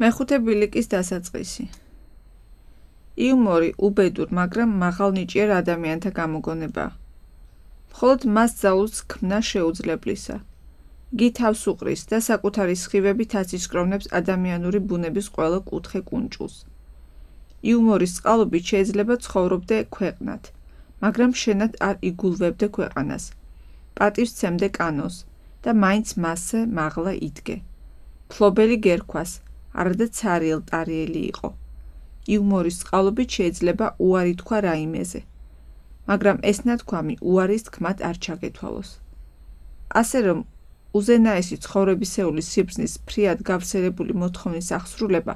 მეხუთე ბილიკის დასაწყისი. იუმორი უბედურ, მაგრამ მაღალნიჭიერ ადამიანთა გამოგონებაა. მხოლოდ მას ძალუძს ქმნა შეუძლებლისა. გი თავს უყრის და საკუთარი სხივებით აცისკროვნებს ადამიანური ბუნების ყველა კუთხე კუნჭულს. იუმორის წყალობით შეიძლება ცხოვრობდე ქვეყნად, მაგრამ შენად არ იგულვებდე ქვეყანას. პატივს ცემდე კანონს და მაინც მასზე მაღლა იდგე. ფლობელი გერქვას, არადა ცარიელ-ტარიელი იყო. იუმორის წყალობით შეიძლება უარი თქვა რაიმეზე, მაგრამ ეს ნათქვამი უარის თქმად არ ჩაგეთვალოს. ასე რომ, უზენაესი ცხოვრებისეული სიბრძნის ფრიად გავრცელებული მოთხოვნის აღსრულება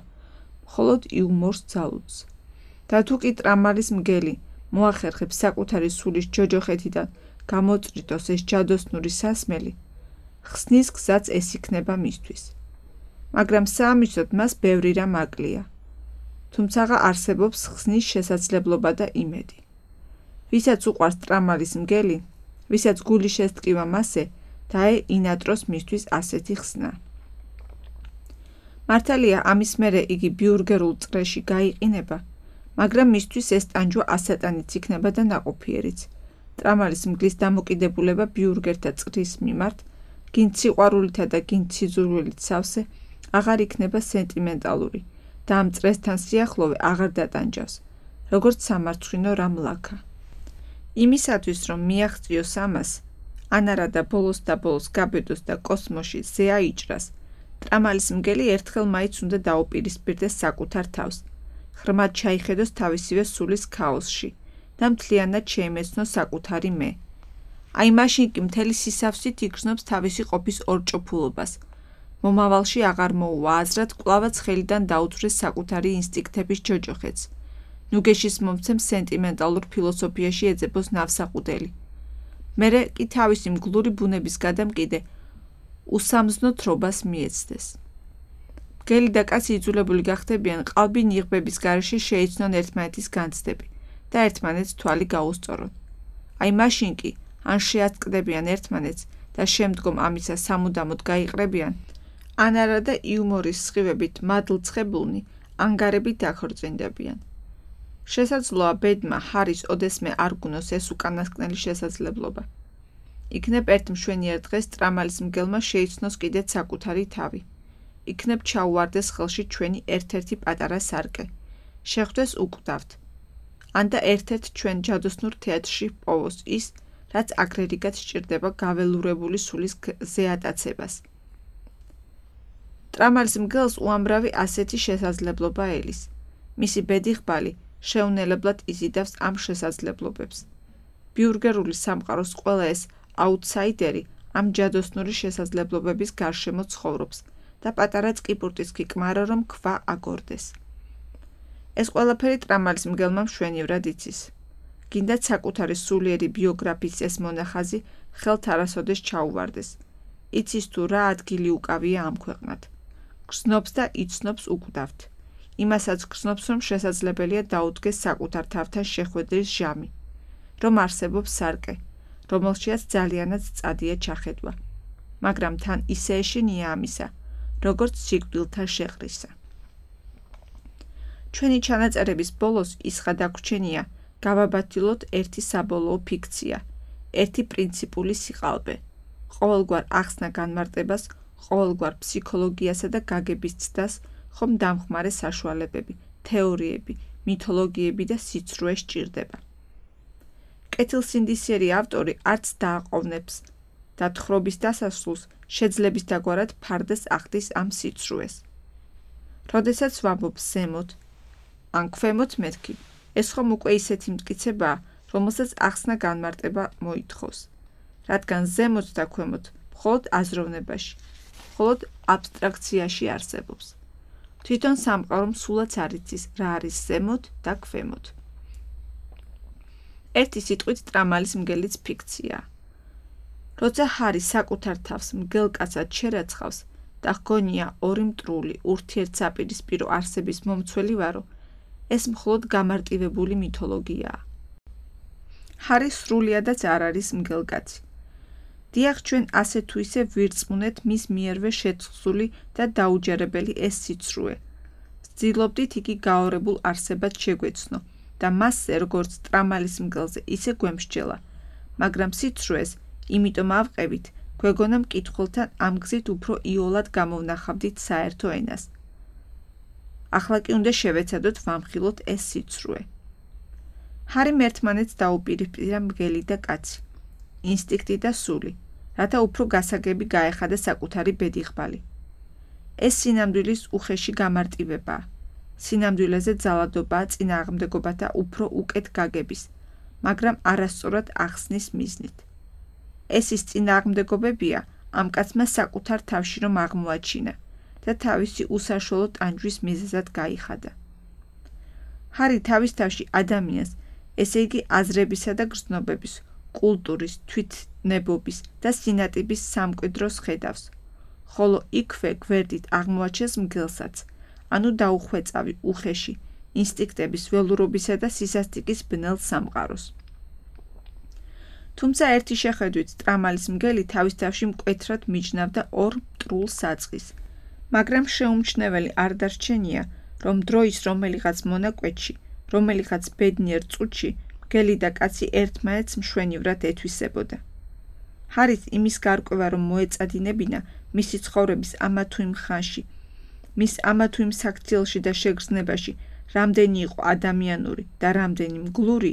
მხოლოდ იუმორს ძალუძს. და თუ კი ტრამალის მგელი მოახერხებს საკუთარი სულის ჯოჯოხეთიდან გამოწრიტოს ეს ჯადოსნური სასმელი, ხსნის გზაც ეს იქნება მისთვის. მაგრამ საამისოდ მას ბევრი რამ აკლია. თუმცაღა არსებობს ხსნის შესაძლებლობა და იმედი. ვისაც უყვარს ტრამალის მგელი, ვისაც გული შესტკივა მასზე, დაეინატროს მისთვის ასეთი ხსნა. მართალია ამის მერე იგი ბიურგერულ წრეში გაიყინება, მაგრამ მისთვის ეს ტანჯვა ასატანიც იქნება და ნაყოფიერიც. ტრამალის მგლის დამოკიდებულება ბიურგერთა წრის მიმართ, გინც სიყვარულითა და გინც სიძულვილით სავსე, აღარ იქნება სენტიმენტალური და ამ წრესთან სიახლოვე აღარ დატანჯავს, როგორც სამარცხვინო რამ ლაქა. იმისათვის, რომ მიაღწიოს ამას, ანარა და ბოლოს გაბედოს და კოსმოსში ზე აიჭრას, ტრამალის მგელი ერთხელ მაინც უნდა დაუპირისპირდეს საკუთარ თავს, ხრმად ჩაიხედოს თავისივე სულის ქაოსში და მთლიანად შეიმეცნოს საკუთარი მე. აი მაშინ კი მთელი სისავსით იგრძნობს თავისი ყოფის ორჭოფულობას. მომავალში აღარ მოუვა აზრად კვლავაც ხელიდან დაუძვრეს საკუთარი ინსტინქტების ჯოჯოხეთს. ნუგეშის მომცემ სენტიმენტალურ ფილოსოფიაში ეძებოს ნავსაყუდელი. მერე კი თავისი მგლური ბუნების გადამკიდე უსამზნო თრობას მიეცდეს. მგელი და კაცი იძულებული გახდებიან ყალბი ნიღბების გარეშე შეიცნონ ერთმანეთის განცდები და ერთმანეთს თვალი გაუსწორონ. აი მაშინ კი ან შეატკდებიან ერთმანეთს და შემდგომ ამისა სამუდამოდ გაიყრებიან, ან არა და იუმორის სხივებით მადლცხებულნი ანგარებით დაქორწინდებიან. შესაძლოა ბედმა ჰარის ოდესმე არ გუნოს ეს უკანასკნელი შესაძლებლობა. იქნებ ერთ მშვენიერ დღეს ტრამალის მგელმა შეიცნოს კიდეც საკუთარი თავი. იქნებ ჩაუვარდეს ხელში ჩვენი ერთ-ერთი პატარა სარკე. შეხვდეს უკვდავთ. ან და ერთ-ერთ ჩვენ ჯადოსნურ თეატრში პოვოს ის, რაც აგრერიგად სჭირდება გაველურებული სულის ზეატაცებას. ტრამალის მგელს უამრავი ასეთი შესაძლებლობა ელის. მისი ბედიღბალი შეუნელებლად იზიდავს ამ შესაძლებლობებს. ბიურგერული სამყაროს ყველა ეს აუტსაიდერი ამ ჯადოსნური შესაძლებლობების გარშემო ცხოვრობს და პატარა წკიპურტის გიკმარა, რომ ქვა აგორდეს. ეს ყველაფერი ტრამალის მგელმა მშვენივრად იცის. გინდათ საკუთარი სულიერი ბიოგრაფიის ეს მონახაზი ხელთ არასოდეს ჩაუვარდეს. იცის თუ რა ადგილი უკავია ამ ქვეყნად. გრძნობს და იცნობს უკვდავთ. იმასაც გრძნობს, რომ შესაძლებელია დაუდგეს საკუთარ თავთან შეხვედრის ჟამი, რომ არსებობს სარკე, რომელშიაც ძალიანაც წადია ჩახედვა, მაგრამ თან ისე ეშინია ამისა, როგორც სიკვდილთა შეყრისა. ჩვენი ჩანაწერების ბოლოს ის გადაგვრჩენია გავაბათილოთ ერთი საბოლოო ფიქცია, ერთი პრინციპული სიყალბე, ყოველგვარ ახსნა განმარტებას, ყოველგვარ ფსიქოლოგიასა და გაგების ცდას ხომ დამხმარე საშუალებები, თეორიები, მითოლოგიები და სიცრუე სჭირდება. კეთილსინდისიერი ავტორი არც დააყოვნებს და თხრობის დასასრულს შეძლების დაგვარად ფარდას ახდის ამ სიცრუეს. როდესაც ვამბობ ზემოთ, ან ქვემოთ მეთქი, ეს ხომ უკვე ისეთი მტკიცებაა, რომელსაც ახსნა განმარტება მოითხოვს, რადგან ზემოთ და ქვემოთ მხოლოდ აზროვნებაში, მხოლოდ აბსტრაქციაში არსებობს. თვითონ სამყარო სულაც არ იცის, რა არის ზემოთ და ქვემოთ. ერთი სიტყვით ტრამალის მგელიც ფიქციაა. როცა ჰარი საკუთარ თავს მგელ კაცად შერაცხავს და ჰგონია ორი მტრული ურთიერთსაპირისპირო არსების მომცველი ვარო, ეს მხოლოდ გამარტივებული მითოლოგიაა. ჰარი სრულიადაც არ არის მგელკაცი. დიახ, ჩვენ ასე თუ ისე ვირწმუნეთ მის მიერვე შეწყსული და დაუჯერებელი ეს სიცრუე, ვცდილობდით იგი გაორებულ არსებად შეგვეცნო და მასზე როგორც ტრამალის მგელზე ისე გვემსჯელა, მაგრამ სიცრუეს იმიტომ ავყევით, გვეგონა მკითხველთან ამ გზით უფრო იოლად გამოვნახავდით საერთო ენას. ახლა კი უნდა შევეცადოთ ვამხილოთ ეს სიცრუე. ჰარიმ ერთმანეთს დაუპირისპირა მგელი და კაცი, ინსტინქტი და სული, რათა უფრო გასაგები გაეხადა საკუთარი ბედიღბალი. ეს სინამდვილის უხეში გამარტივებაა. სინამდვილეზე ძალადობაა წინააღმდეგობათა უფრო უკეთ გაგების, მაგრამ არასწორად ახსნის მიზნით. ეს ის წინააღმდეგობებია ამ კაცმა საკუთარ თავში რომ აღმოაჩინა და თავისი უსაშუალო ტანჯვის მიზეზად გაიხადა. ჰარი თავის თავში ადამიანს, ესე იგი აზრებისა და გრძნობების, კულტურის, თვითნებობის და სინატიბის სამკვიდროს ხედავს, ხოლო იქვე გვერდით აღმოაჩენს მგელსაც, ანუ დაუხვეწავი, უხეში, ინსტინქტების ველურობისა და სისასტიკის ბნელ სამყაროს. თუმცა ერთი შეხედვით ტრამალის მგელი თავის თავში მკვეთრად მიჯნავდა ორ მტრულ საწყის, მაგრამ შეუმჩნეველი არ დარჩენია, რომ დროის რომელიღაც მონაკვეთში, რომელიღაც ბედნიერ წუთში, მგელი და კაცი ერთმანეთს მშვენივრად ეთვისებოდა. ჰარით იმის გარკვევა რომ მოეწადინებინა მისი ცხოვრების ამა თუ იმ ხანში, მის ამა თუ იმ საქციელში და შეგრძნებაში, რამდენი იყო ადამიანური და რამდენი მგლური,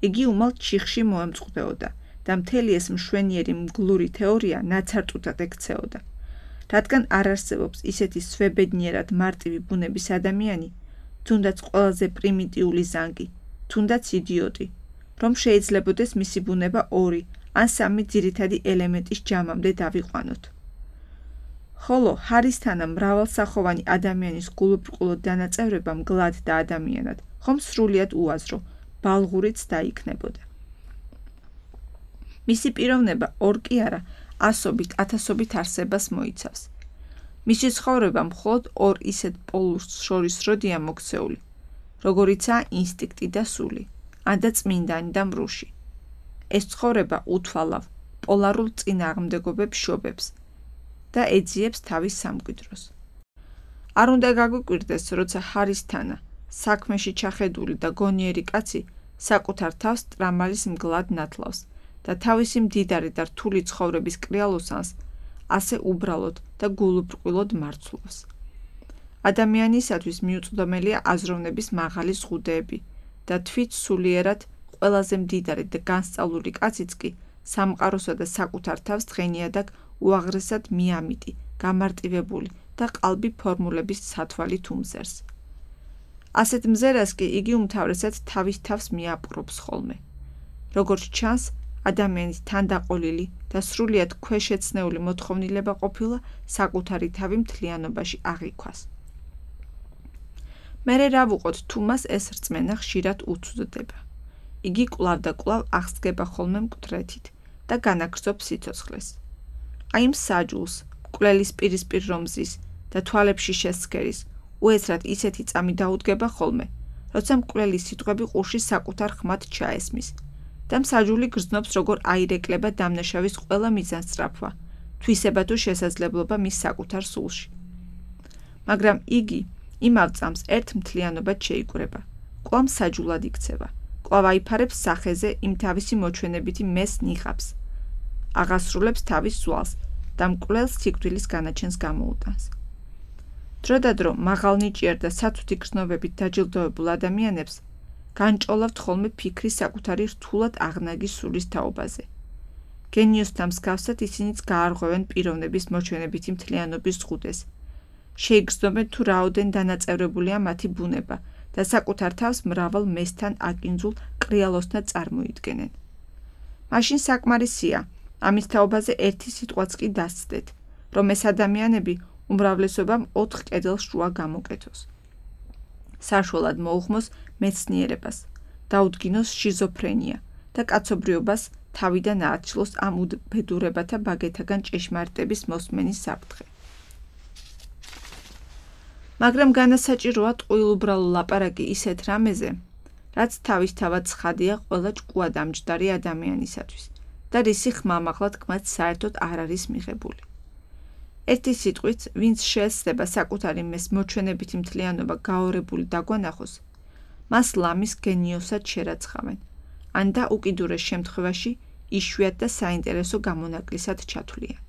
იგი უმალ ჩიხში მოემწყდეოდა და მთელი ეს მშვენიერი მგლური თეორია ნაცარტუთად ექცეოდა. რადგან არ არსებობს ისეთი სვებედნიერად მარტივი ბუნების ადამიანი, თუნდაც ყველაზე პრიმიტიული ზანგი, თუნდაც იდიოტი, რომ შეიძლებოდეს მისი ბუნება ორი ან სამი ძირითადი ელემენტის ჯამამდე დავიყვანოთ. ხოლო ჰარისთანა მრავალსახოვანი ადამიანის გულუბრყვილო დანაწევრება მგლად და ადამიანად, ხომ სრულიად უაზრო, ბალღურიც დაიქნებოდა. მისი პიროვნება ორ კი არა, ასობით, ათასობით არსებას მოიცავს. მისი ცხოვრება მხოლოდ ორ ისეთ პოლუსს შორის როდია მოქცეული, როგორიცაა ინსტინქტი და სული, ანდა წმინდანი და მრუში. ეს ცხოვრება უთვალავ, პოლარულ წინააღმდეგობებს შობებს და ეძიებს თავის სამკვიდროს. არ უნდა გაგვიკვირდეს, როცა ჰარისთანა, საქმეში ჩახედული და გონიერი კაცი საკუთარ თავს ტრამალის მგლად ნათლავს და თავისი მდიდარი და რთული ცხოვრების კრიალოსანს ასე უბრალოდ და გულუბრყვილოდ მარცვლობს. ადამიანისათვის მიუწვდომელია აზროვნების მაღალი ზღუდეები და თვით სულიერად ყველაზე მდიდარი და განსწავლული კაციც კი სამყაროსა და საკუთარ თავს დღენიადაგ უაღრესად მიამიტი, გამარტივებული და ყალბი ფორმულების სათვალით უმზერს. ასეთ მზერას კი იგი უმთავრესად თავის თავს მიაპყრობს ხოლმე. როგორც ჩანს, ადამიანის თანდაყოლილი და სრულიად ქვეშეცნეული მოთხოვნილება ყოფილა საკუთარი თავი მთლიანობაში აღიქვას. მერე რა ვუყოთ თუ მას ეს რწმენა ხშირად უცვდება. იგი კვლავ და კვლავ აღსდგება ხოლმე მკვდრეთით და განაგრძობს სიცოცხლეს. აი იმ საჯულს, მკვლელის პირისპირ რომზის და თვალებში შესცქერის, უეცრად ისეთი წამი დაუდგება ხოლმე, როცა მკვლელის სიტყვები ყურში საკუთარ ხმად ჩაესმის და მსაჯული გრძნობს როგორ აირეკლება დამნაშავის ყველა მიზანსწრაფვა, თვისება თუ შესაძლებლობა მის საკუთარ სულში. მაგრამ იგი იმავ წამს ერთ მთლიანობად შეიკვრება, კვლავ მსაჯულად იქცევა, კვლავ აიფარებს სახეზე იმ თავისი მოჩვენებითი მეს ნიღაბს, აღასრულებს თავის ზვალს და მკვლელს სიკვდილის განაჩენს გამოუტანს. დრო და დრო მაღალნიჭიერ და სათუთი გრძნობებით დაჯილდოებულ ადამიანებს განჭოლავთ ხოლმე ფიქრი საკუთარი რთულად აღნაგი სულის თაობაზე. გენიოსთან მსგავსად ისინიც გაარღვევენ პიროვნების მოჩვენებითი მთლიანობის ზღუდეს. შეიგრძნობენ თუ რაოდენ დანაწევრებულია მათი ბუნება და საკუთარ თავს მრავალ მესთან აკინძულ კრიალოსთან წარმოიდგენენ. მაშინ საკმარისია, ამის თაობაზე ერთი სიტყვაც კი დასცდეთ, რომ ეს ადამიანები უმრავლესობამ 4 კედელს შუა გამოკეთოს. საშუალად მოუხმოს მეცნიერებას, დაუდგინოს შიზოფრენია და კაცობრიობას თავიდან ააცილოს ამ უბედურებათა ბაგეთაგან ჭეშმარიტების მოსმენის საფრთხე. მაგრამ განასაჭიროა ტყუილუბრალო ლაპარაკი ისეთ რამეზე, რაც თავისთავად ცხადია ყველა ერთი სიტყვით, ვინც შეეცდება საკუთარი მეს მოჩვენებითი მთლიანობა გაორებული დაგვანახოს, მას ლამის გენიოსად შერაცხავენ, ან და უკიდურეს შემთხვევაში იშვიათ და საინტერესო გამონაკლისად ჩათვლიან.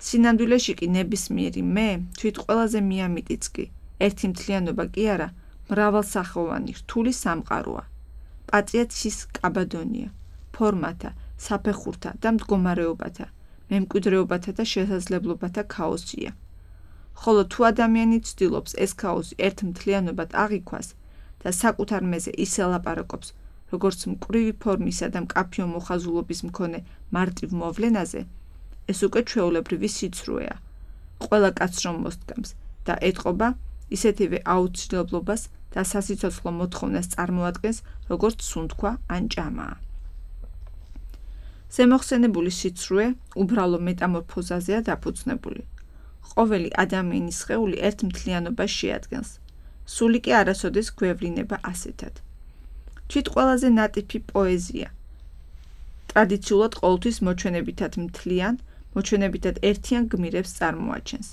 სინამდვილეში კი ნებისმიერი მე თვით ყველაზე მიამიტიც კი, ერთი მთლიანობა კი არა, მრავალსახოვანი რთული სამყაროა. პატიაცის კაბადონია, ფორმათა, საფეხურთა და მდგომარეობათა, მემკვიდრეობათა და შესაძლებლობათა ქაოსია. ხოლო თუ ადამიანი ცდილობს ეს ქაოსი ერთ მთლიანობად აღიქვას და საკუთარ მეზე ისე ლაპარაკობს, როგორც მკვრივი ფორმისა და მკაფიო მოხაზულობის მქონე მარტივ მოვლენაზე, ეს უკვე ჩვეულებრივი სიცრუეა. ყველა კაცს რომ მოსდგამს და ეტყობა ისეთივე აუცილებლობას და სასიცოცხლო მოთხოვნას წარმოადგენს, როგორც სუნთქვა ან ჭამაა. ზემოხსენებული სიცრუე უბრალო მეტამორფოზაზეა დაფუძნებული. ყოველი ადამიანის სხეული ერთ მთლიანობას შეადგენს. სული კი არასოდეს გვევლინება ასეთად. თვით ყველაზე ნატიფი პოეზია. ტრადიციულად ყოველთვის მოჩვენებითად მთლიან, მოჩვენებითად ერთიან გმირებს წარმოაჩენს.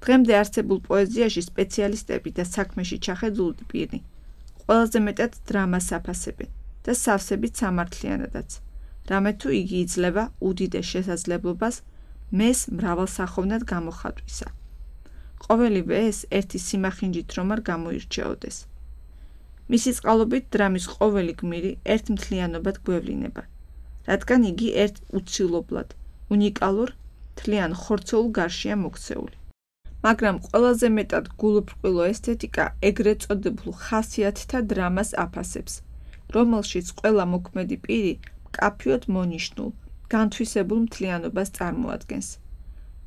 დღემდე არსებულ პოეზიაში სპეციალისტები და საქმეში ჩახედული პირი ყველაზე მეტად დრამას აფასებენ და სავსებით სამართლიანადაც, რამე თუ იგი იძლევა უდიდეს შესაძლებლობას მეს მრავალსახოვნად გამოხატვისა. ყოველივე ეს ერთი სიმახინჯით რომ არ გამოირჩეოდეს. მისი წყალობით დრამის ყოველი გმირი ერთ მთლიანობად გვევლინება, რადგან იგი ერთ უცილობლად, უნიკალურ, მთლიან ხორცეულ გარშია მოქცეული. მაგრამ ყველაზე მეტად გულუბრყვილო ესთეტიკა ეგრეთ წოდებულ ხასიათთა დრამას აფასებს, რომელშიც ყველა მოქმედი პირი მკაფიოდ მონიშნულ, განთვისებულ მთლიანობას წარმოადგენს.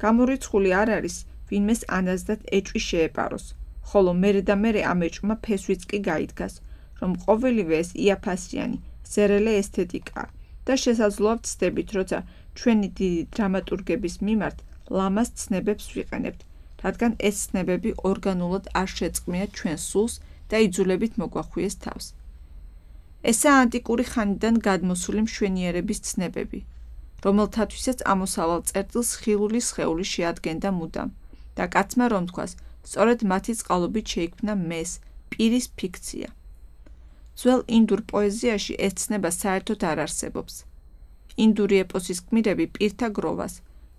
გამორიცხული არ არის, ვინმეს ანაზდად ეჭვი შეეპაროს, ხოლო მერე და მერე ამ ეჭვმა ფესვიც კი გაიდგას, რომ ყოველივე ეს იაფასიანი, ზერელე ესთეტიკაა და შესაძლოა ვცდებით, როცა ჩვენი დიდი დრამატურგების მიმართ ლამას ცნებებს ვიყენებთ, რადგან ეს ცნებები ორგანულად არ შეწყმიათ ჩვენს სულს და იძულებით მოგვახვიეს თავს. ესაა ანტიკური ხანიდან გადმოსული მშვენიერების ცნებები, რომელთათვისაც ამოსავალ წერტილს ხილული სხეული შეადგენდა მუდამ და კაცმა რომ თქვას, სწორედ მათი წყალობით შეიქმნა მეს, პირის ფიქცია. ძველ ინდურ პოეზიაში ეს ცნება საერთოდ არ არსებობს. ინდური ეპოსის გმირები პირთა გროვას,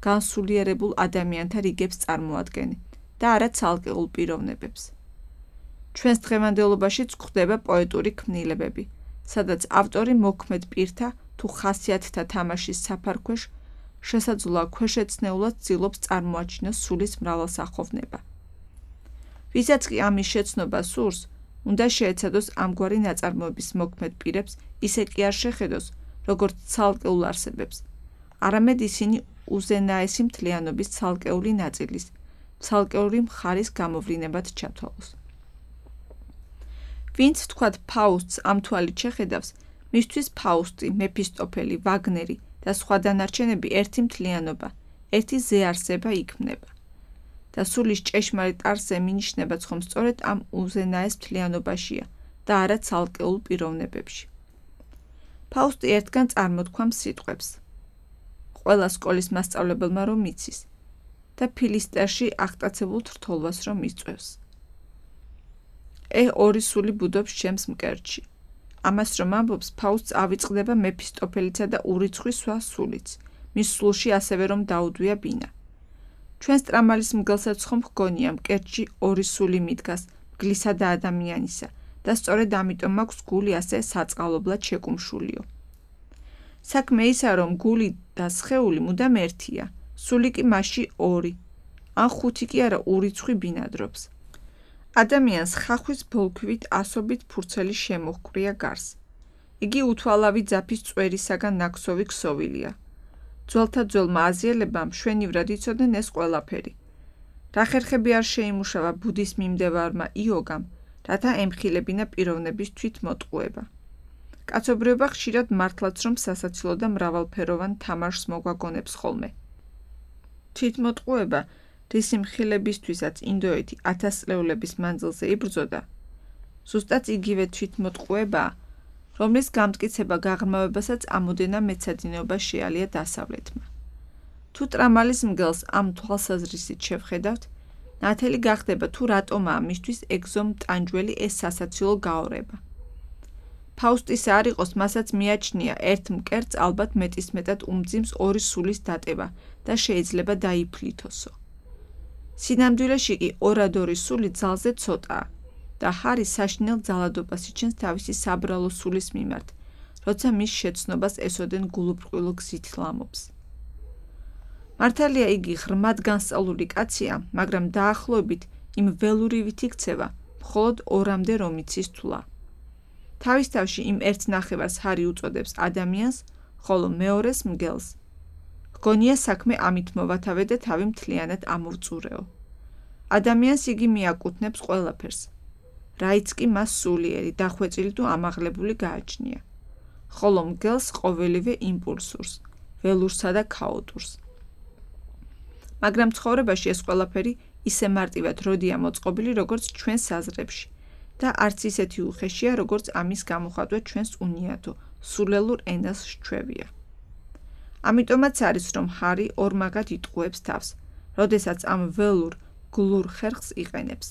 განსულიერებულ ადამიანთა რიგებს წარმოადგენენ და არა ცალკეულ პიროვნებებს. ჩვენს დღევანდელობაშიც გვხვდება პოეტური ქმნილებები, სადაც ავტორი მოქმედ პირთა თუ ხასიათთა თამაშის საფარქვეშ შესაძლოა ქვეშეცნეულად ცდილობს წარმოაჩინოს სულის მრავალსახოვნება. ვისაც კი ამის შეცნობა სურს, უნდა შეეცადოს ამგვარი ნაწარმოების მოქმედ პირებს ისე კი არ შეხედოს, როგორც ცალკეულ არსებებს, არამედ ისინი უზენაესი მთლიანობის ცალკეული ნაწილის, ცალკეული მხარის გამოვლინებად ჩათვალოს. ვინც თქვათ ფაუსტს ამ თვალით შეხედავს, მისთვის ფაუსტი, მეფისტოფელი, ვაგნერი და სხვა დანარჩენები ერთი მთლიანობა, ერთი ზეარსება იქმნება. და სულის ჭეშმარიტ არსზე მინიშნებაც ხომ სწორედ ამ უზენაეს მთლიანობაშია და არა ცალკეულ პიროვნებებში. ფაუსტი ერთგან წარმოთქვამს სიტყვებს. ყველა სკოლის მასწავლებელმა რომ იცის და ფილისტერში აღტაცებულ თრთოლვას რომ იწვევს. ორი სული ბუდობს ჩემს მკერდში. ამას რომ ამბობს, ფაუსტს ავიწყდება მეფისტოფელიცა და ურიცხვი სხვა სულიც, მის სულში ასევე რომ დაუდვია ბინა. ჩვენს ტრამალის მგელსაც ხომ ჰგონია მკერდში ორი სული მიდგას, მგლისა და ადამიანისა და სწორედ ამიტომ აქვს გული ასე საწყალობლად შეკუმშულიო. საქმე ისაა, რომ გული და სხეული მუდამ ერთია, სული კი მასში ორი, ან ხუთი კი არა ურიცხვი ბინადრობს. ადამიანს ხახვის ბოლქვით ასობით ფურცელი შემოჰკვრია გარს. იგი უთვალავი ძაფის წვერისაგან ნაქსოვი ქსოვილია. ძველთა ძველმა აზიელებამ მშვენივრად იცოდნენ ეს ყველაფერი. რა ხერხები არ შეიმუშავა ბუდის მიმდევარმა იოგამ, რათა ემხილებინა პიროვნების თვითმოტყუება. კაცობრიობა ხშირად მართლაც რომ სასაცილო და მრავალფეროვან თამაშს მოგვაგონებს ხოლმე. თვითმოტყუება, რის მხილებისთვისაც ინდოეთი 1000 წლეულების მანძილზე იბრძოდა, ზუსტად იგივე თვითმოტყუებაა, რომლის გამტკიცება გაღრმავებასაც ამოდენა მეცადინეობა შეალია დასავლეთმა. თუ ტრამალის მგელს ამ თვალსაზრისით შევხედავთ, ნათელი გახდება თუ რატომაა მისთვის ეგზომტანჯველი ეს სასაცილო გაორება. ფაუსტისა არ იყოს, მასაც მიაჩნია ერთ მკერდს ალბათ მეტისმეტად უმძიმს ორი სულის დატება და შეიძლება დაიფლითოსო. სინამდვილეში კი ორადორი სული ძალზე ცოტაა და ჰარი საშინელ ძალადობას იჩენს თავისი საბრალო სულის მიმართ, როცა მის შეცნობას ესოდენ გულუბრყვილო გზით ლამობს. მართალია იგი ღრმად განსწავლული კაცია, მაგრამ დაახლოებით იმ ველურივით იქცევა მხოლოდ ორამდე რომ იცის თვლა. თავის თავში იმ ერთ ნახევარს ჰარი უწოდებს ადამიანს, ხოლო მეორეს მგელს. ჰგონია საქმე ამით მოვათავე და თავი მთლიანად ამოვწურეო. ადამიანს იგი მიაკუთვნებს ყველაფერს, რაიც კი მას სულიერი, დახვეწილი თუ ამაღლებული გააჩნია, ხოლო მგელს ყოველივე იმპულსურს, ველურსა და ქაოტურს. მაგრამ ცხოვრებაში ეს ყველაფერი ისე მარტივად როდია მოწყობილი, როგორც ჩვენ საზრებში და არც ისეთი უხეშია, როგორც ამის გამოხატვა ჩვენს უნიადო, სულელურ ენას სჩვევია. ამიტომაც არის, რომ ჰარი ორმაგად იტყუებს თავს, როდესაც ამ ველურ, გლურ ხერხს იყენებს.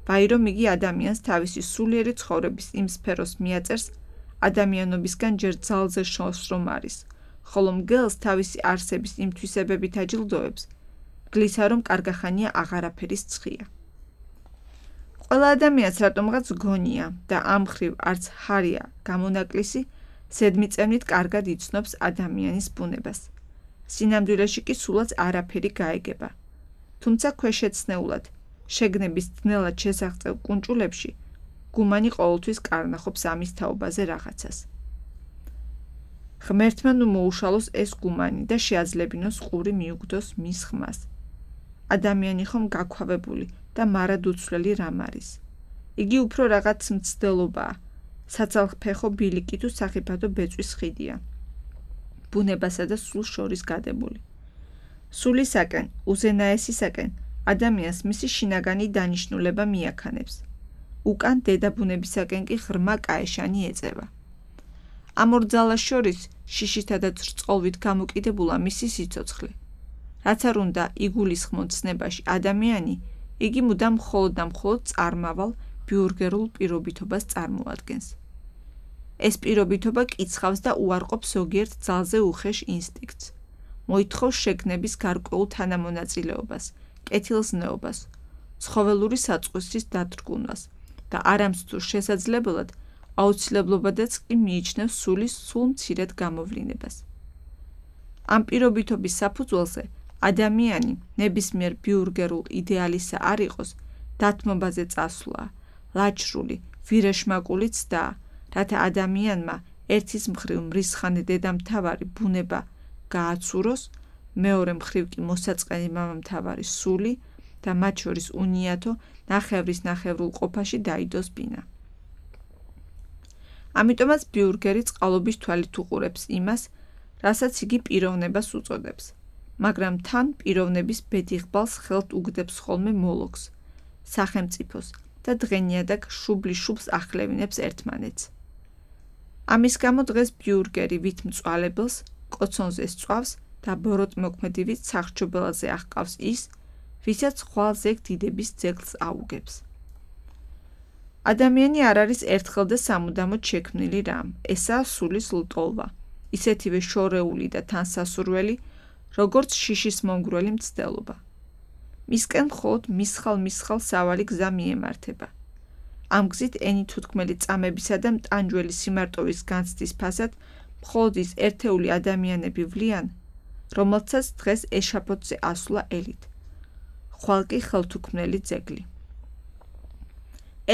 ვაი რომ იგი ადამიანს თავისი სულიერი ცხოვრების იმ სფეროს მიაწერს, ადამიანობისგან ჯერ ძალზე შორს რომ არის, ხოლო მგელს თავისი არსების იმ თვისებებით აჯილდოებს, მგლისა რომ კარგახანია აღარაფერის ცხია. ყველა ადამიანს რატომღაც გონია და ამ მხრივ არც ჰარია გამონაკლისი, ზედმიწევნით კარგად იცნობს ადამიანის ბუნებას. სინამდვილეში კი სულაც არაფერი გაეგება. თუმცა ქვეშეცნეულად, შეგნების ძნელად შესაღწევ კუნჭულებში, გუმანი ყოველთვის კარნახობს ამის თაობაზე რაღაცას. ღმერთმა ნუ მოუშალოს ეს გუმანი და შეაძლებინოს ყური მიუგდოს მის ხმას. ადამიანი ხომ გაქვავებული და მარად უცვლელი რამ არის. იგი უფრო რაღაც მცდელობაა, საცალფეხო ბილიკი თუ სახიფათო ბეწვის ხიდია. ბუნებასა და სულს შორის გადებული. სულისაკენ, უზენაესისაკენ, ადამიანს მისი შინაგანი დანიშნულება მიაქანებს. უკან დედაბუნებისაკენ კი ღრმა კაეშანი ეწევა. ამ ორ ძალას შორის შიშითა და ჭრწყოლვით გამოკიდებულა მისი სიცოცხლე. რაც არ უნდა იგულისხმოთ ცნებაში ადამიანი, იგი მუდამ მხოლოდ და მხოლოდ წარმავალ ბიურგერულ პირობითობას წარმოადგენს. ეს პირობითობა კიცხავს და უარყოფს ზოგიერთ ძალზე უხეშ ინსტინქტს. მოითხოვს შეგნების გარკვეულ თანამონაწილეობას, კეთილზნეობას, ცხოველური საწყისის დათრგუნვას და არამცდურ შესაძლებლად აუცილებლობადაც კი მიიჩნევს სულის სულ მცირედ გამოვლინებას. ამ პირობითობის საფუძველზე ადამიანი ნებისმიერ ბიურგერულ იდეალისა არ იყოს, დათმობაზე წასვლა, ლაჩრული, ვირეშმაკული ცდა, რათა ადამიანმა ერთის მხრივ მრისხანე დედამთავარი ბუნება გააცუროს, მეორე მხრივ კი მოსაწყენი მამამთავარი სული და მათ შორის უნიათო ნახევრის ნახევრულ ყოფაში დაიდოს ბინა. ამიტომაც ბიურგერი წყალობის თვალით უყურებს იმას, რასაც იგი პიროვნებას უწოდებს, მაგრამ თან პიროვნების ბედიღბალს ხელთ უგდებს ხოლმე მოლოქს, სახელმწიფოს და დღენიადაგ შუბლი-შუბლს ახლევინებს ერთმანეთს. ამის გამო დღეს ბიურგერი ვით მწვალებელს, კოცონზე სწვავს და ბოროტმოქმედივით სახრჩობელაზე აღყავს ის, ვისაც ხვალ ზეგ დიდების ძეგლს აუგებს. ადამიანი არ არის ერთხელ და სამუდამოდ შექმნილი რამ, ესაა სულის ლტოლვა, ისეთივე შორეული და თანსასურველი, როგორც შიშის მომგვრელი მცდელობა. მისკენ მხოლოდ მისხალ-მისხალ სავალი გზა მიემართება. ამ გზით ენითუთქმელი წამებისა და მტანჯველი სიმარტოვის განცდის ფასად მხოლოდ ის ერთეული ადამიანები ვლიან, რომელთაც დღეს ეშაფოთზე ასვლა ელით. ხვალ კი ხელთუქმნელი ძეგლი.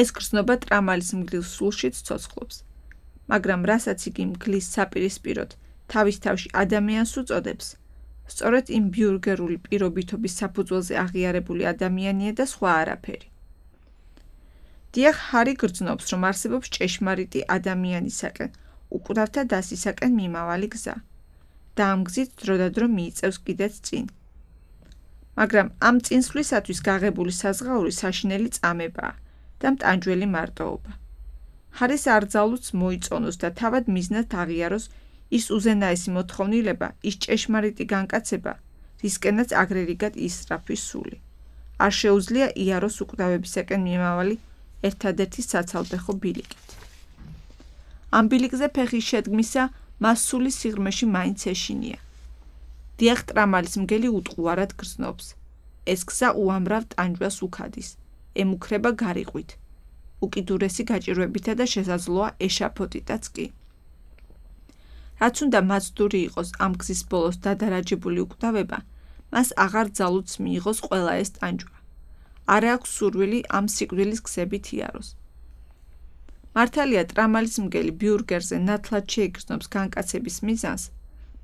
ეს გრძნობა ტრამალის მგლის სულშიც ცოცხლობს, მაგრამ რასაც იგი მგლის საპირისპიროდ თავის თავში ადამიანს უწოდებს, სწორედ იმ ბიურგერული პირობითობის საფუძველზე აღიარებული ადამიანია და სხვა არაფერი. დიახ, ჰარი გრძნობს, რომ არსებობს ჭეშმარიტი ადამიანისაკენ, უკურავთა დასისაკენ მიმავალი გზა და ამ გზით დროდადრო მიიწევს კიდეც წინ. მაგრამ ამ წინსვლისათვის გაღებული საზღაური საშინელი წამებაა და მტანჯველი მარტოობა. ჰარის არძალუც მოიწონოს და თავად მიზნად აღიაროს ის უზენაესი მოთხოვნილება, ის ჭეშმარიტი განკაცება, რისკენაც აგრერიგად ისწრაფვის სული. არ შეუძლია იაროს უკვდავებისაკენ მიმავალი ერთადერთი საცალფეხო ბილიკით. ამ ბილიკზე ფეხის შედგმისა მას სულის სიღრმეში მაინც ეშინია. დიახ, ტრამალის მგელი უტყუარად გრძნობს. ეს გზა უამრავ ტანჯვას უქადის, ემუქრება გარიყვით, უკიდურესი გაჭირვებითა და შესაძლოა ეშაფოდიტაც კი. რაც უნდა მაცდური იყოს ამ გზის ბოლოს დადარაჯებული უკვდავება, მას აღარ ძალუც მიიღოს ყველა ეს ტანჯვა. არ აქვს სურვილი ამ სიკვდილის გზებით იაროს. მართალია ტრამალის მგელი ბიურგერზე ნათლად შეიგრძნობს განკაცების მიზანს,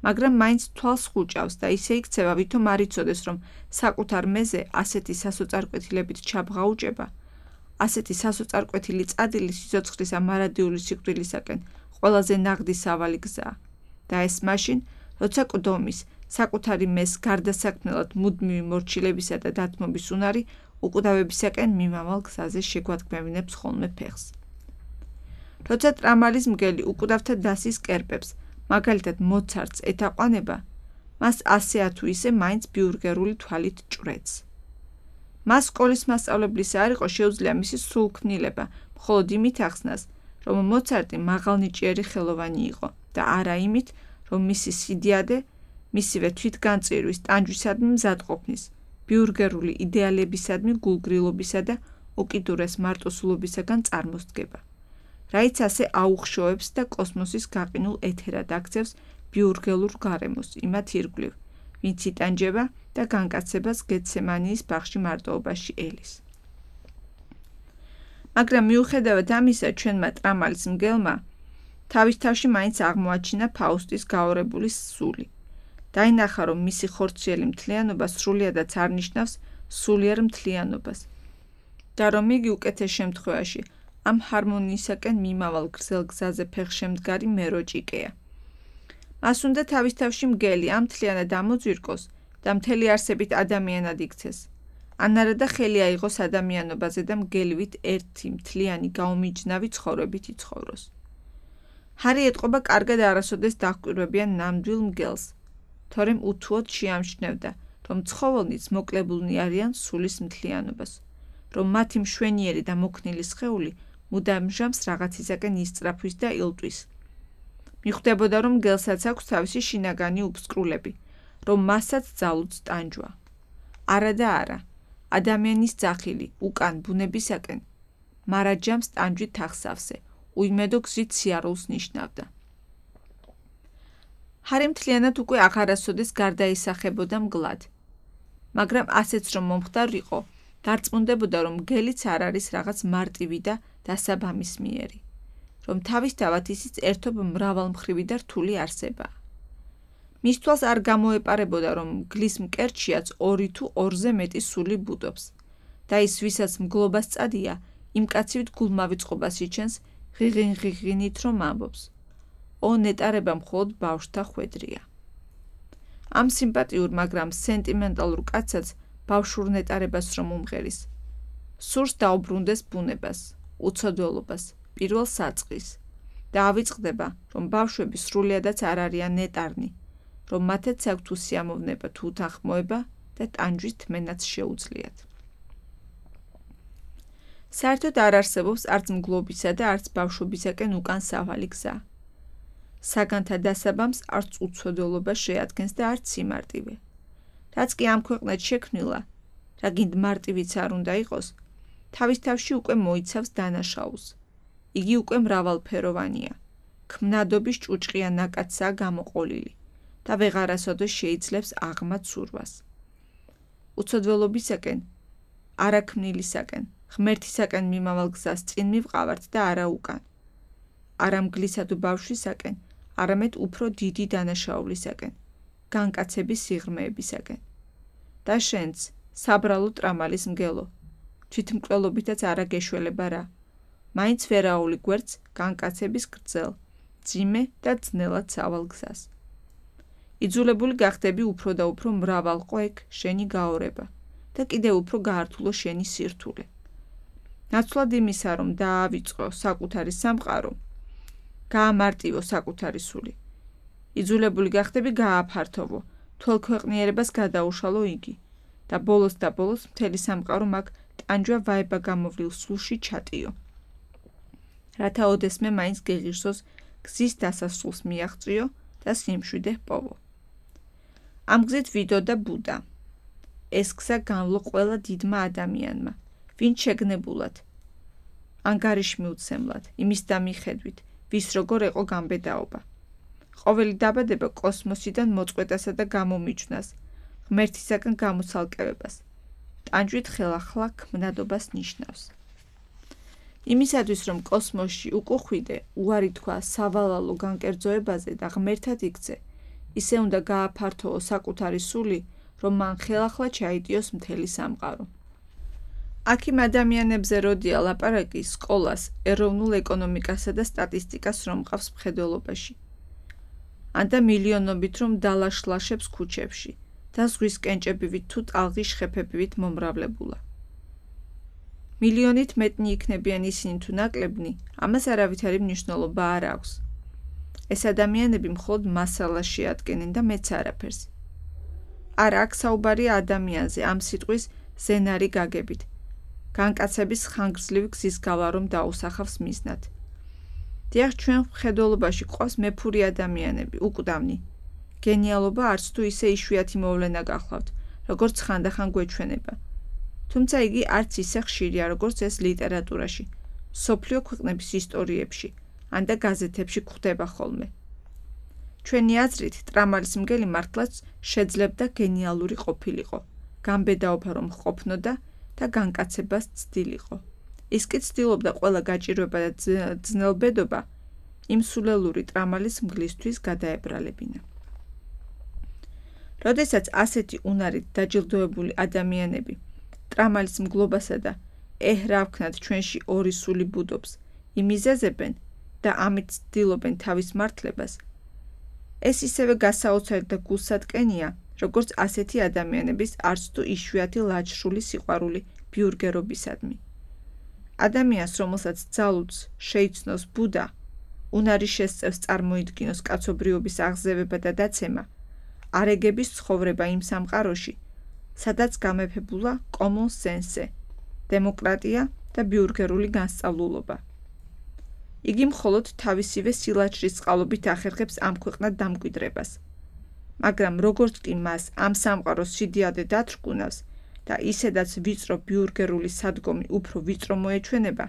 მაგრამ მაინც თვალს ხუჭავს და ისე იქცევა, ვითომ არ იცოდეს, რომ საკუთარ მეზე ასეთი სასოწარკვეთილებით ჩაბღაუჭება, ასეთი სასოწარკვეთილი წადილი სიცოცხლის ამ არადიული სიკვდილისაკენ ყველაზე ნაღდი სავალი გზაა და ეს მაშინ, როცა კვდომის, საკუთარი მეზს გარდასაქმნელად მუდმივი მორჩილებისა და დათმობის უნარი უკვდავებისაკენ მიმავალ გზაზე შეგვადგმევინებს ხოლმე ფეხს. როცა ტრამალის მგელი უკვდავთა დასის კერპებს, მაგალითად მოცარტს ეთაყვანება, მას ასე თუ ისე მაინც ბიურგერული თვალით ჭვრეტს. მას სკოლის მასწავლებლისა არ იყო შეუძლია მისი სრულქმნილება, მხოლოდ იმით ახსნას, რომ მოცარტი მაღალნიჭიერი ხელოვანი იყო და არა იმით, რომ მისი სიდიადე, მისივე თვითგანწირვის, ტანჯვისადმი მზადყოფნის, ბიურგერული იდეალებისადმი გულგრილობისა და უკიდურეს მარტოსულობისაგან წარმოსდგება. რაიც ასე აუხშოვებს და კოსმოსის გაყინულ ეთერად აქცევს ბიურგელურ გარემოს, იმათ ირგვლივ, ვინც იტანჯება და განკაცებას გეცემანიის ბაღში მარტოობაში ელის. მაგრამ მიუხედავად ამისა, ჩვენმა ტრამალის მგელმა თავის თავში მაინც აღმოაჩინა ფაუსტის გაორებული სული. დაინახა, რომ მისი ხორციელი მთლიანობა სრულიადაც არ ნიშნავს სულიერ მთლიანობას და რომ იგი უკეთეს შემთხვევაში ამ ჰარმონიისაკენ მიმავალ გრძელ გზაზე ფეხშემდგარი მეროჭიკეა. მას უნდა თავის თავში მგელი ამ მთლიანად ამოძვირკოს და მთელი არსებით ადამიანად იქცეს. ან არადა ხელი აიღოს ადამიანობაზე და მგელივით ერთი მთლიანი გაუმიჯნავი ცხოვრებით იცხოვროს. ჰარი ეტყობა კარგად არასოდეს დაჰკვირვებიან ნამდვილ მგელს, თორემ უთუოდ შეამჩნევდა, რომ ცხოველნიც მოკლებულნი არიან სულის მთლიანობას, რომ მათი მშვენიერი და მოქნილი სხეული მუდამ ჟამს რაღაცისაკენ ისწრაფვის და ილტვის. მიხვდებოდა, რომ მგელსაც აქვს თავისი შინაგანი უფსკრულები, რომ მასაც ძალუც ტანჯვა. არა და არა, ადამიანის ძახილი უკან ბუნებისაკენ, მარაჯამს ტანჯვით ახსავსე, უიმედო გზით სიარულს ნიშნავდა. ჰარი მთლიანად უკვე აღარასოდეს გარდაისახებოდა მგლად, მაგრამ ასეც რომ მომხდარიყო, დარწმუნდებოდა, რომ მგელიც არ არის რაღაც მარტივი და დასაბამისმიერი, რომ თავისთავად ისიც ერთობ მრავალმხრივი და რთული არსებაა. მის თვალს არ გამოეპარებოდა, რომ მგლის მკერდშიაც 2 თუ 2-ზე მეტი სული ბუდობს და ის, ვისაც მგლობას წადია, იმ კაცივით გულმავიწყობას იჩენს ღიღინით რომ ამბობს. ო ნეტარება მხოლოდ ბავშვთა ხვედრია. ამ სიმპათიურ, მაგრამ სენტიმენტალურ კაცსაც ბავშვურ ნეტარებას რომ უმღერის, სურს დაუბრუნდეს ბუნებას, უცოდველობას, პირველ საწყის და ავიწყდება, რომ ბავშვები სრულიადაც არ არიან ნეტარნი, რომ მათაც აქვთ უსიამოვნება თუ უთანხმოება და ტანჯვის თმენაც შეუძლიათ. საერთოდ არ არსებობს არც მგლობისა და არც ბავშვობისაკენ უკან სავალი გზა. საგანთა დასაბამს არც უცოდველობა შეადგენს და არც სიმარტივე. რაც კი ამ ქვეყნად შექმნილა, რა გინდ მარტივიც არ უნდა იყოს, თავის თავში უკვე მოიცავს დანაშაულს. იგი უკვე მრავალფეროვანია, ქმნადობის ჭუჭყია ნაკაცსაა გამოყოლილი და ვეღარასოდეს შეიძლებს აღმად სურვას. უცოდველობისაკენ, არაქმნილისაკენ, ღმერთისაკენ მიმავალ გზას წინ მივყავართ და არა უკან. არა მგლისა თუ ბავშვისაკენ, არამედ უფრო დიდი დანაშაულისაკენ, განკაცების სიღრმეებისაკენ. და შენც, საბრალო ტრამალის მგელო, თვითმკვლელობითაც არა გეშველება რა, მაინც ვერაული გვერდს განკაცების გრძელ, ძიმე და ძნელად სავალ გზას. იძულებული გახდები უფრო და უფრო მრავალყო ეგ შენი გაორება და კიდევ უფრო გაართულო შენი სირთულე. ნაცვლად იმისა, რომ დაავიწყო საკუთარი სამყარო, გაამარტივო საკუთარი სული. იძულებული გახდები გააფართოვო, თვალ ქვეყნიერებას გადაუშალო იგი და ბოლოს მთელი სამყარო მაგ ტანჯვა ვაება გამოვლილ სულში ჩატიო. რათა ოდესმე მაინც გეღირსოს გზის დასასრულს მიაღწიო და სიმშვიდე ჰპოვო. ამ გზით ვიდოდა ბუდა. ეს გზა განვლო ყველა დიდმა ადამიანმა, ვინც შეგნებულად, ანგარიშმიუცემლად, იმის დამიხედვით, ვის როგორ ეყო გამბედაობა. ყოველი დაბადება კოსმოსიდან მოწყვეტასა და გამომიჯვნას, ღმერთისაგან გამოცალკევებას, ტანჯვით ხელახლა ქმნადობას ნიშნავს. იმისათვის, რომ კოსმოსში უკუხვიდე, უარი თქვა სავალალო განკერძოებაზე და ღმერთად იქცე, ისე უნდა გააფართოო საკუთარი სული, რომ მან ხელახლა ჩაიტიოს მთელი სამყარო. აქ იმ ადამიანებზე როდია ლაპარაკი სკოლას, ეროვნულ ეკონომიკასა და სტატისტიკას რომ მყავს მხედველობაში. ანდა მილიონობით რომ დალაშლაშებს ქუჩებში და ზღვის კენჭებივით თუ ტალღის შხეფებივით მომრავლებულა. მილიონით მეტნი იქნებიან ისინი თუ ნაკლებნი, ამას არავითარი მნიშვნელობა არ აქვს. ეს ადამიანები მხოლოდ მასალას შეადგენენ და მეც არაფერს. არა, აქ საუბარია ადამიანზე ამ სიტყვის ზენარი გაგებით. განკაცების ხანგრძლივი გზის გავა რომ დაუსახავს მიზნად. დიახ, ჩვენ მხედველობაში ყავს მეფური ადამიანები, უკვდავნი. გენიალობა არც თუ ისე იშვიათი მოვლენა გახლავთ, როგორც ხანდახან გვეჩვენება. თუმცა იგი არც ისე ხშირია, როგორც ეს ლიტერატურაში, მსოფლიო ქვეყნების ისტორიებში, ან და გაზეთებში გვხვდება ხოლმე. ჩვენი აზრით, ტრამალის მგელი მართლაც შეძლებდა გენიალური ყოფილიყო, გამბედაობა რომ ჰყოფნოდა და განკაცებას ცდილიყო. ის კი ცდილობდა ყველა გაჭირვება და ძნელბედობა იმ სულელური ტრამალის მგლისთვის გადაებრალებინა. როდესაც ასეთი უნარით დაჯილდოებული ადამიანები ტრამალის მგლობასა და ეჰრავქნად ჩვენში ორი სული ბუდობს, იმიზეზებენ და ამით ცდილობენ თავის მართლებას, ეს ისევე გასაოცარი და გულსატკენია, როგორც ასეთი ადამიანების არც თუ იშვიათი ლაჯშრული სიყვარული ბიურგერობისადმი. ადამიანს, რომელსაც ძალუძს შეიცნოს ბუდა, უნარი შესწევს წარმოიდგინოს კაცობრიობის აღზევება და დაცემა, არეგების ცხოვრება იმ სამყაროში, სადაც გამეფებულა common sense, დემოკრატია და ბიურგერული განსწავლულობა. იგი მხოლოდ თავისივე სილაჯრის წყალობით ახერხებს ამ ქვეყნად დამკვიდრებას. მაგრამ როგორც კი მას ამ სამყაროს სიდიადე დათრგუნავს და ისედაც ვიწრო ბიურგერული სადგომი უფრო ვიწრო მოეჩვენება,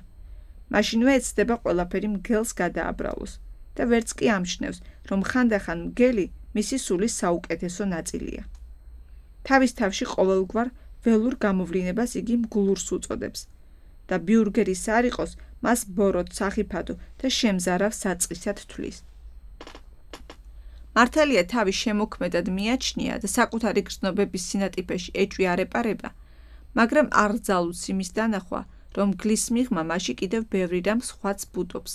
მაშინვე ეცდება ყველაფერი მგელს გადააბრალოს და ვერც კი ამჩნევს, რომ ხანდახან მგელი მისი სულის საუკეთესო ნაწილია. თავის თავში ყოველგვარ ველურ გამოვლინებას იგი მგლურს უწოდებს და ბიურგერის არ იყოს მას ბოროტ, სახიფათო და შემზარავ საწყისად თვლის. მართალია თავის შემოქმედად მიაჩნია და საკუთარი გრძნობების სინატიფეში ეჭვი არ ეპარება, მაგრამ არ ძალუძს იმის დანახვა, რომ მგლის მიღმა მასში კიდევ ბევრი რამ სხვაც ბუდობს.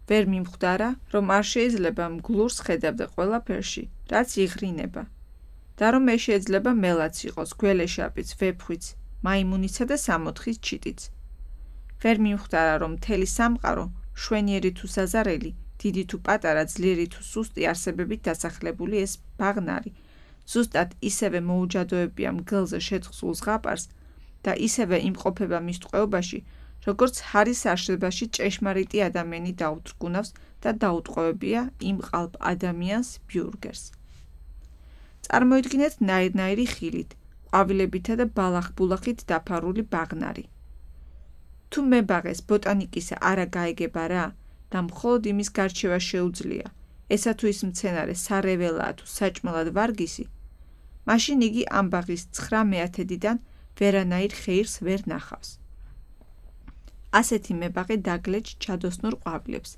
ვერ მიმხვდარა, რომ არ შეიძლება მგლურს ხედავდა ყველაფერში, რაც იღრინება. და რომ ეს შეიძლება მელაც იყოს, გველეშაპიც, ვეფხვიც, მაიმუნიცა და სამოთხის ჩიტიც. ვერ მიმხვდარა, რომ მთელი სამყარო, შვენიერი თუ საზარელი, დიდი თუ პატარა, ძლიერი თუ სუსტი არსებებით დასახლებული ეს ბაღნარი, ზუსტად ისევე მოუჯადოებია მგელზე შეთხზულ ზღაპარს და ისევე იმყოფება მის ტყვეობაში, როგორც ჰარის არსებაში ჭეშმარიტი ადამიანი დაუძრგუნავს და დაუტყვევებია იმ ყალბ ადამიანს ბიურგერს. წარმოიდგინეთ ნაირ-ნაირი ხილით, ყვავილებითა და ბალახ-ბულახით დაფარული ბაღნარი. თუ მებაღეს ბოტანიკისა არა გაეგება რა და მხოლოდ იმის გარჩევა შეუძლია, ესა თუ ის მცენარე სარეველაა თუ საჭმელად ვარგისი, მაშინ იგი ამ ბაღის 9/10-დან ვერანაირ ხეირს ვერ ნახავს. ასეთი მებაღე დაგლეჯ ჩადოსნურ ყვავილებს,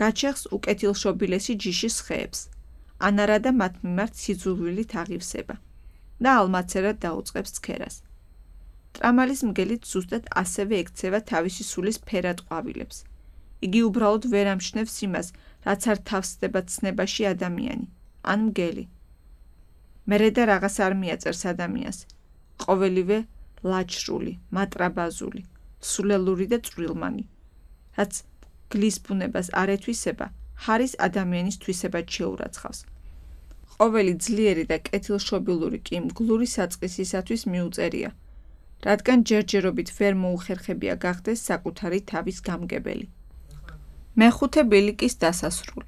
გაჩეხს უკეთილშობილესი ჯიშის ხეებს, ან არადა მათ მიმართ სიძულვილით აღივსება და ალმაცერად დაუწყებს ცქერას. ტრამალის მგელით ზუსტად ასევე ექცევა თავისი სულის ფერად ყვავილებს. იგი უბრალოდ ვერ ამჩნევს იმას, რაც არ თავსდება ცნებაში ადამიანი, ან მგელი. მერე და რაღაც არ მიაწერს ადამიანს, ყოველივე ლაჯშრული, მატრაბაზული, სულელური და წვრილმანი, რაც გლის ბუნებას არ ეთვისება, ჰარის ადამიანის თვისებად შეურაცხავს. ყოველი ძლიერი და კეთილშობილური კი მგლური საწყისისათვის მიუწერია, რადგან ჯერჯერობით ვერ მოუხერხებია გახდეს საკუთარი თავის გამგებელი. მეხუთე ბილიკის დასასრული.